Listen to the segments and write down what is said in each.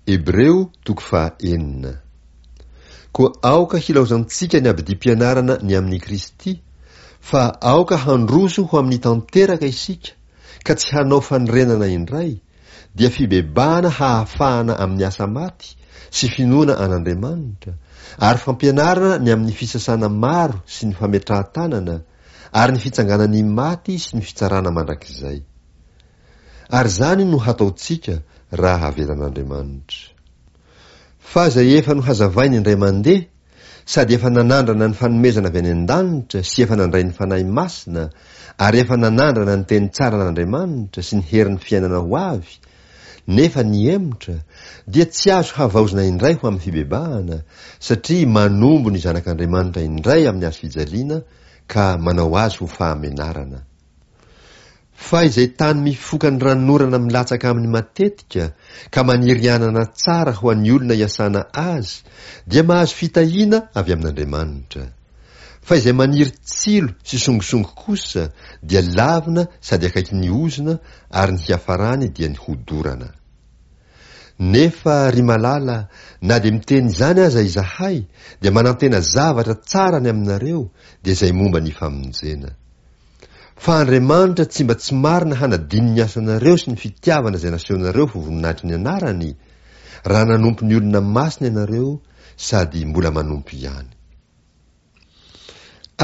Hebreo toko faha-enina. Koa aoka hilaozantsika ny abidim-pianarana ny amin'i Kristy, fa aoka handroso ho amin'ny tanteraka isika, ka tsy hanao fanorenana indray, dia fibebahana hahafahana amin'ny asa maty sy finoana an'Andriamanitra, ary fampianarana ny amin'ny fisasana maro sy ny fametrahan-tanana, ary ny fitsanganan'ny maty sy ny fitsarana mandrakizay. Ary izany no hataontsika raha avelan'Andriamanitra. Fa izay efa nohazavainy indray mandeha, sady efa nanandrana ny fanomezana avy any an-danitra sy efa nandray ny Fanahy Masina ary efa nanandrana ny teny tsaran'Andriamanitra sy ny herin'ny fiainana ho avy, nefa nihemotra, dia tsy azo havaozina indray ho amin'ny fibebahana, satria manombo ny Zanak'Andriamanitra indray amin'ny hazo fijaliana ka manao azy ho fahamenarana. Fa izay tany mifoka ny ranonorana milatsaka aminy matetika ka maniry anana tsara ho an'ny olona iasana azy dia mahazo fitahiana avy amin'Andriamanitra. Fa izay maniry tsilo sy songosongo kosa dia lavina sady akaikin'ny ozona ary ny hiafarany dia ny hodorana. Nefa ry malala na dia miteny izany aza izahay dia manantena zavatra tsara ny aminareo dia izay momba ny famonjena. Fa Andriamanitra tsy mba tsy marina hanadino ny asanareo sy ny fitiavana izay nasehonareo ho voninahitry ny anarany, raha nanompo ny olona masina ianareo sady mbola manompo ihany.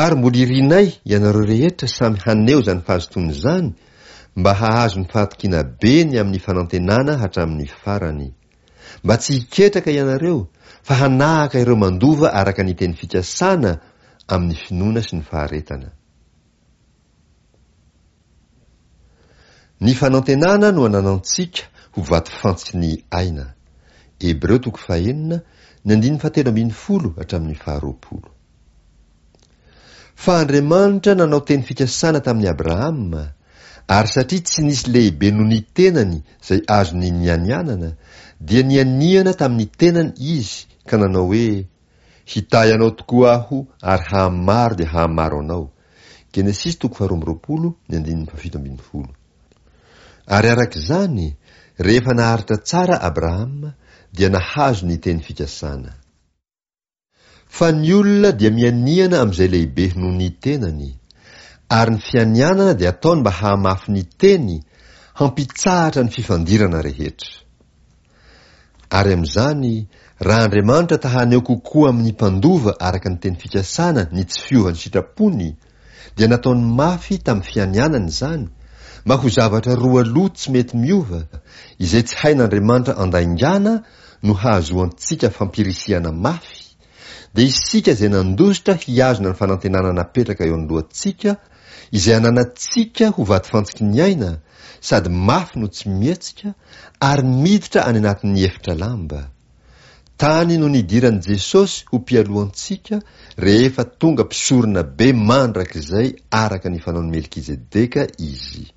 Ary mbola irinay ianareo rehetra samy haneho izany fahazotoana izany mba hahazo ny fahatokiana be ny amin'ny fanantenana hatramin'ny farany. Mba tsy hiketraka ianareo fa hanahaka ireo mandova araka ny teny fikasana amin'ny finoana sy ny faharetana. Ny fanantenana no ananantsika ho vatofantsiky ny aina. Hebreo toko fahenina, ny andininy fahatelo ambinifolo hatramin'ny faharoapolo. Fa Andriamanitra nanao teny fikasana tamin'i Abrahama, ary satria tsy nisy lehibe noho ny tenany izay azony nianianana, dia nianiana tamin'ny tenany Izy ka nanao hoe, Hitahy anao tokoa Aho ary hahamaro dia hahamaro anao. Genesisy toko faharoa amby roapolo, ny andininy fahafito ambin'ny folo. Ary araka izany, rehefa naharitra tsara Abrahama, dia nahazo ny teny fikasana. Fa ny olona dia mianiana amin'izay lehibe noho ny tenany, ary ny fianianana dia ataony mba hahamafy ny teny, hampitsahatra ny fifandirana rehetra. Ary amin'izany, raha Andriamanitra ta haneho kokoa amin'ny mpandova araka ny teny fikasana ny tsy fiovan'ny sitrapony, dia nataony mafy tamin'ny fianianana izany, mba ho zavatra roa loha tsy mety miova, izay tsy hain'Andriamanitra andaingana no hahazoantsika fampirisihana mafy, dia isika izay nandositra hihazona ny fanantenana napetraka eo anoloantsika, izay ananantsika ho vatofantsiky ny aina, sady mafy no tsy mihetsika, ary miditra any anatin'ny efitra lamba. Tany no nidiran'i Jesosy ho mpialoha antsika rehefa tonga mpisorona be mandrakizay araka ny fanaon'i Melkizedeka izy.